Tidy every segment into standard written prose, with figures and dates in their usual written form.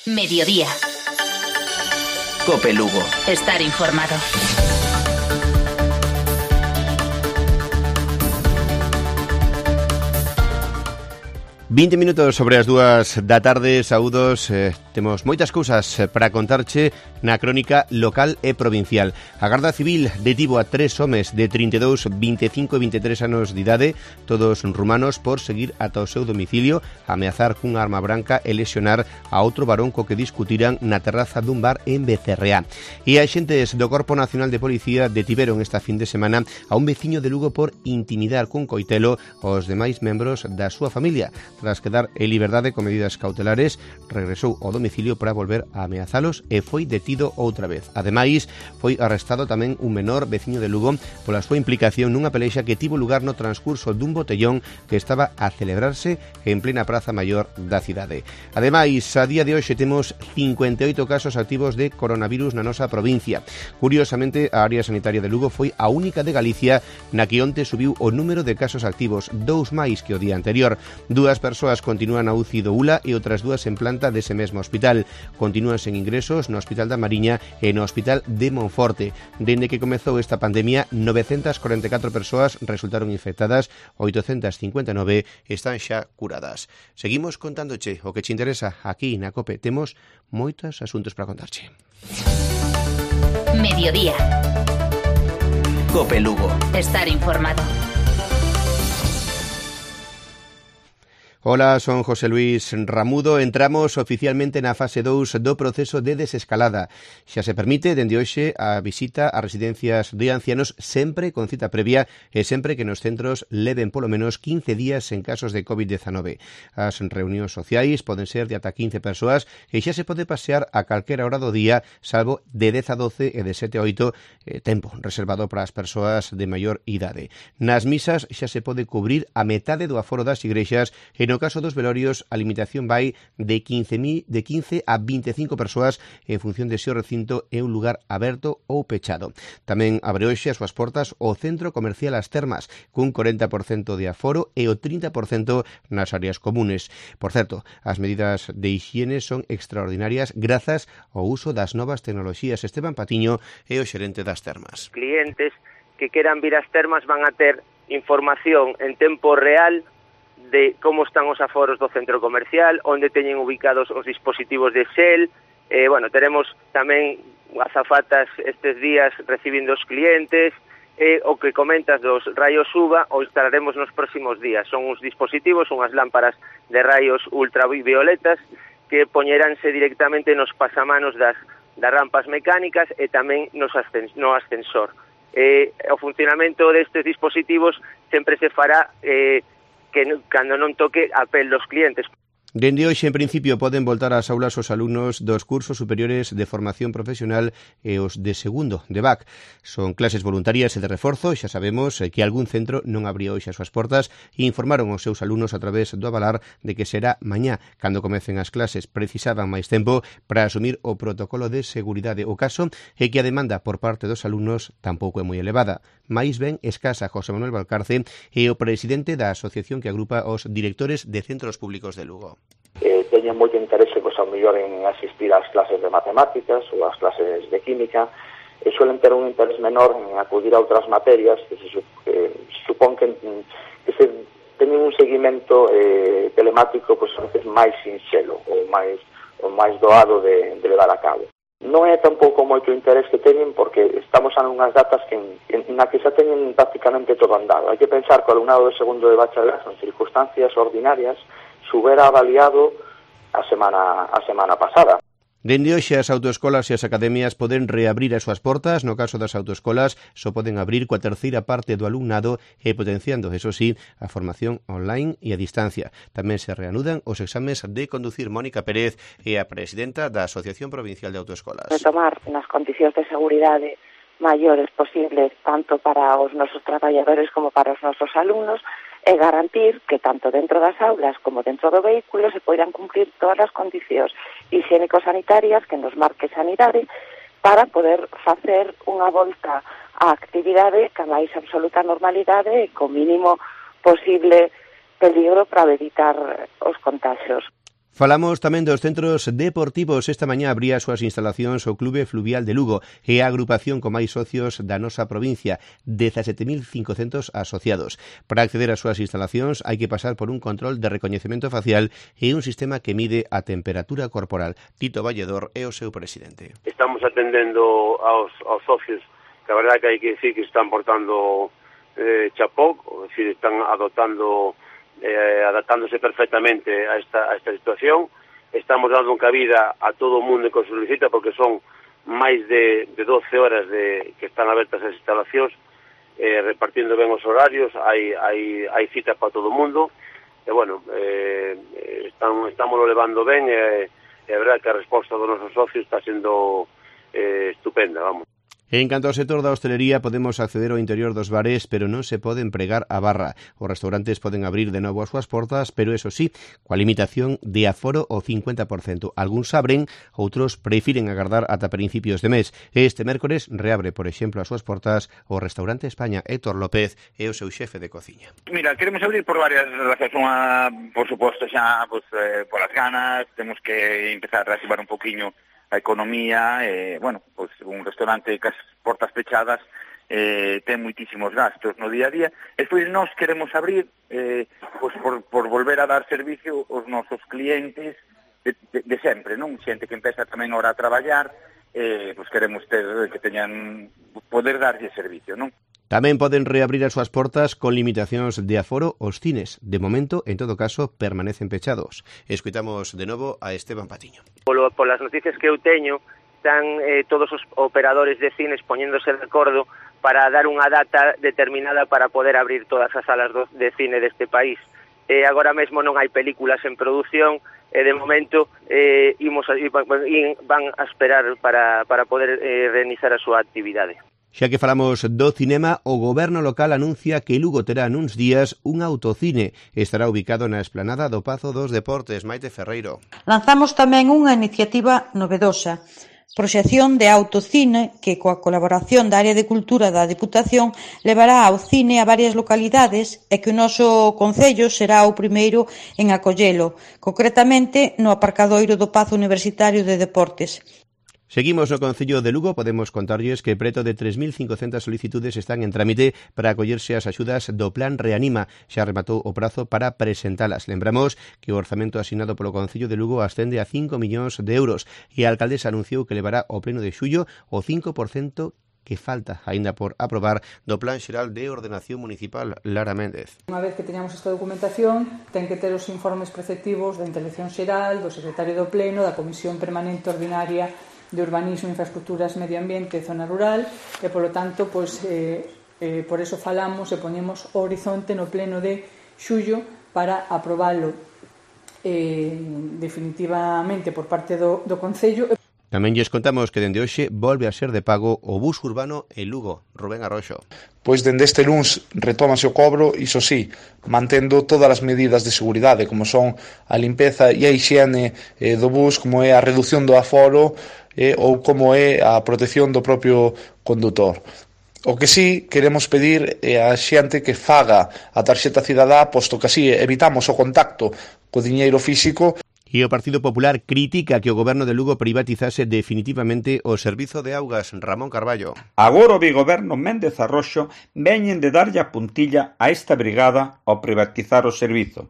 Mediodía. COPE Lugo. Estar informado. 20 minutos sobre as 2 da tarde, saúdos, temos moitas cousas para contarche na crónica local e provincial. A Garda Civil detivo a 3 homes de 32, 25 e 23 anos de idade, todos rumanos, por seguir ata o seu domicilio, ameazar cunha arma branca e lesionar a outro varón co que discutiran na terraza dun bar en Becerreá. E a xentes do Corpo Nacional de Policía detiveron esta fin de semana a un veciño de Lugo por intimidar cun coitelo aos demais membros da súa familia. Tras quedar en liberdade con medidas cautelares, regresou ao domicilio para volver a ameazalos e foi detido outra vez. Ademais, foi arrestado tamén un menor veciño de Lugo pola súa implicación nunha pelexa que tivo lugar no transcurso dun botellón que estaba a celebrarse en plena praza maior da cidade. Ademais, a día de hoxe temos 58 casos activos de coronavirus na nosa provincia. Curiosamente, a área sanitaria de Lugo foi a única de Galicia na que onte subiu o número de casos activos, 2 máis que o día anterior. 2 persoas continúan na UCI do ULA e outras 2 en planta dese mesmo hospital. Continúan sen ingresos no Hospital da Mariña e no Hospital de Monforte. Dende que comezou esta pandemia, 944 persoas resultaron infectadas, 859 están xa curadas. Seguimos contándoche o que te interesa aquí na COPE. Temos moitos asuntos para contarche. Mediodía. COPE Lugo. Estar informado. Hola, son José Luis Ramudo. Entramos oficialmente na fase 2 do proceso de desescalada. Xa se permite, dende hoxe, a visita a residencias de ancianos sempre con cita previa e sempre que nos centros leven polo menos 15 días en casos de COVID-19. As reunións sociais poden ser de ata 15 persoas e xa se pode pasear a calquera hora do día, salvo de 10 a 12 e de 7 a 8, tempo reservado para as persoas de maior idade. Nas misas xa se pode cubrir a metade do aforo das igrexas e no caso dos velorios, a limitación vai de 15 a 25 persoas en función de se o recinto é un lugar aberto ou pechado. Tamén abre hoxe as súas portas o Centro Comercial As Termas, cun 40% de aforo e o 30% nas áreas comunes. Por certo, as medidas de higiene son extraordinarias grazas ao uso das novas tecnoloxías. Esteban Patiño é o xerente das termas. Clientes que queran vir ás termas van a ter información en tempo real de como están os aforos do centro comercial, onde teñen ubicados os dispositivos de xel. Teremos tamén azafatas estes días recibindo os clientes, o que comentas dos rayos UVA o instalaremos nos próximos días. Son uns dispositivos, unhas lámparas de rayos ultravioletas que poñeránse directamente nos pasamanos das rampas mecánicas e tamén no ascensor. O funcionamento destes dispositivos sempre se fará que cando non toque a pel dos clientes. Dende hoxe, en principio, poden voltar ás aulas os alumnos dos cursos superiores de formación profesional e os de segundo, de BAC. Son clases voluntarias e de reforzo. Xa sabemos que algún centro non abría hoxe as súas portas e informaron aos seus alumnos a través do avalar de que será mañá. Cando comecen as clases, precisaban máis tempo para asumir o protocolo de seguridade. O caso é que a demanda por parte dos alumnos tampouco é moi elevada. Mais ben escasa. José Manuel Valcarce é o presidente da asociación que agrupa os directores de centros públicos de Lugo. Teñen moito interese, ao mellor, en asistir ás clases de matemáticas ou ás clases de química, e suelen ter un interés menor en acudir a outras materias que se supón que se teñen un seguimento telemático a veces máis sinxelo ou máis doado de levar a cabo. Non é tampouco moito interés que teñen porque estamos a unhas datas na que xa teñen prácticamente todo andado. Hai que pensar que o alumnado de segundo de bacharelato en circunstancias ordinarias subera avaliado a semana pasada. Dende hoxe as autoescolas e as academias poden reabrir as súas portas. No caso das autoescolas só poden abrir coa terceira parte do alumnado e potenciando, eso sí, a formación online e a distancia. Tamén se reanudan os exames de conducir. Mónica Pérez é a presidenta da Asociación Provincial de Autoescolas. Retomar nas condicións de seguridade maiores posibles tanto para os nosos traballadores como para os nosos alumnos e garantir que tanto dentro das aulas como dentro do vehículo se poidan cumplir todas as condicións higiénico-sanitarias que nos marque Sanidade para poder facer unha volta á actividade ca máis absoluta normalidade e co mínimo posible peligro para evitar os contagios. Falamos tamén dos centros deportivos. Esta mañá abría as súas instalacións o Clube Fluvial de Lugo e a agrupación con máis socios da nosa provincia, 17.500 asociados. Para acceder ás súas instalacións hai que pasar por un control de recoñecemento facial e un sistema que mide a temperatura corporal. Tito Valledor é o seu presidente. Estamos atendendo aos socios, que a verdade que hai que decir que están portando chapó, é dicir, están adaptándose perfectamente a esta situación. Estamos dando cabida a todo o mundo que o solicita, porque son máis de 12 horas que están abertas as instalacións, repartindo ben os horarios, hai citas para todo o mundo, e bueno, estamos levando ben, e a verdade que a resposta dos nosos socios está sendo estupenda, vamos. En canto ao sector da hostelería, podemos acceder ao interior dos bares, pero non se poden pregar a barra. Os restaurantes poden abrir de novo as súas portas, pero eso sí, coa limitación de aforo ao 50%. Algúns abren, outros prefiren agardar ata principios de mes. Este mércores reabre, por exemplo, as súas portas o Restaurante España. Héctor López é o seu xefe de cociña. Mira, queremos abrir por varias razóns. Unha, por suposto, xa polas ganas, temos que empezar a reactivar un poquinho a economía, pues un restaurante cas portas pechadas ten moitísimos gastos no día a día. Despois nós queremos abrir pues por volver a dar servicio aos nosos clientes de sempre, non? Xente que empeza tamén ahora a traballar, pues queremos que teñan poder darlle servicio, non? Tamén poden reabrir as súas portas con limitacións de aforo os cines. De momento, en todo caso, permanecen pechados. Escuitamos de novo a Esteban Patiño. Polas noticias que eu teño, están todos os operadores de cines poñéndose de acordo para dar unha data determinada para poder abrir todas as salas de cine deste país. Agora mesmo non hai películas en produción, e de momento van a esperar para poder reiniciar a súa actividade. Xa que falamos do cinema, o goberno local anuncia que Lugo terá nuns días un autocine. Estará ubicado na esplanada do Pazo dos Deportes. Maite Ferreiro. Lanzamos tamén unha iniciativa novedosa, proxección de autocine que coa colaboración da Área de Cultura da Deputación levará ao cine a varias localidades e que o noso concello será o primeiro en acollelo, concretamente no aparcadoiro do Pazo Universitario de Deportes. Seguimos no Concello de Lugo. Podemos contarlles que preto de 3.500 solicitudes están en trámite para acollerse ás axudas do Plan Reanima. Xa rematou o prazo para presentalas. Lembramos que o orzamento asignado polo Concello de Lugo ascende a 5 millóns de euros e a alcaldesa anunciou que levará ao pleno de xullo o 5% que falta aínda por aprobar do Plan Xeral de Ordenación Municipal. Lara Méndez. Unha vez que teñamos esta documentación, ten que ter os informes preceptivos da Intervención Xeral, do Secretario do Pleno, da Comisión Permanente Ordinaria de Urbanismo, Infraestructuras, Medio Ambiente e Zona Rural, e, polo tanto, por eso falamos e poñemos o horizonte no pleno de xullo para aprobalo definitivamente por parte do Concello. Tamén lles contamos que dende hoxe volve a ser de pago o bus urbano en Lugo. Rubén Arroxo. Pois dende este luns retómase o cobro, iso sí, mantendo todas as medidas de seguridade, como son a limpeza e a hixiene do bus, como é a reducción do aforo ou como é a protección do propio condutor. O que sí queremos pedir é a xente que faga a tarxeta cidadá, posto que así evitamos o contacto co diñeiro físico. E o Partido Popular critica que o goberno de Lugo privatizase definitivamente o servizo de augas. Ramón Carballo. Agora o bigoberno Méndez Arroxo veñen de darlle a puntilla a esta brigada ao privatizar o servizo.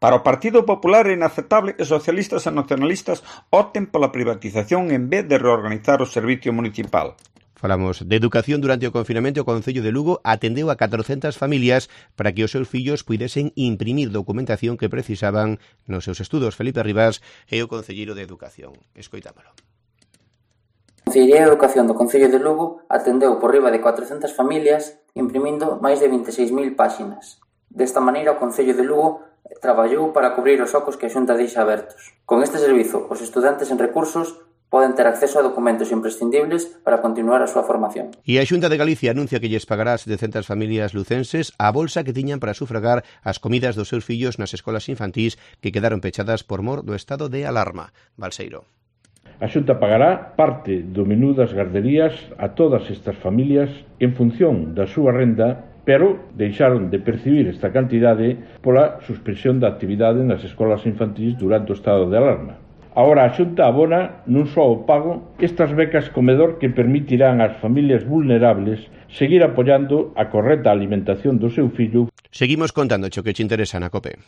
Para o Partido Popular é inaceptable que socialistas e nacionalistas opten pola privatización en vez de reorganizar o servicio municipal. Falamos de educación. Durante o confinamento, o Concello de Lugo atendeu a 400 familias para que os seus fillos puidesen imprimir documentación que precisaban nos seus estudos. Felipe Rivas é o concelleiro de Educación. Escoitámolo. A Consellería de Educación do Concello de Lugo atendeu por riba de 400 familias imprimindo máis de 26.000 páxinas. Desta maneira, o Concello de Lugo traballou para cubrir os ocos que a Xunta deixa abertos. Con este servizo, os estudantes en recursos poden ter acceso a documentos imprescindibles para continuar a súa formación. E a Xunta de Galicia anuncia que lles pagará a 700 familias lucenses a bolsa que tiñan para sufragar as comidas dos seus fillos nas escolas infantís que quedaron pechadas por mor do estado de alarma. Balseiro. A Xunta pagará parte do menú das garderías a todas estas familias en función da súa renda pero deixaron de percibir esta cantidade pola suspensión da actividade nas escolas infantís durante o estado de alarma. Agora a Xunta abona nun só o pago estas becas comedor que permitirán ás familias vulnerables seguir apoiando a correcta alimentación do seu fillo. Seguimos contando o que te interesa na COPE.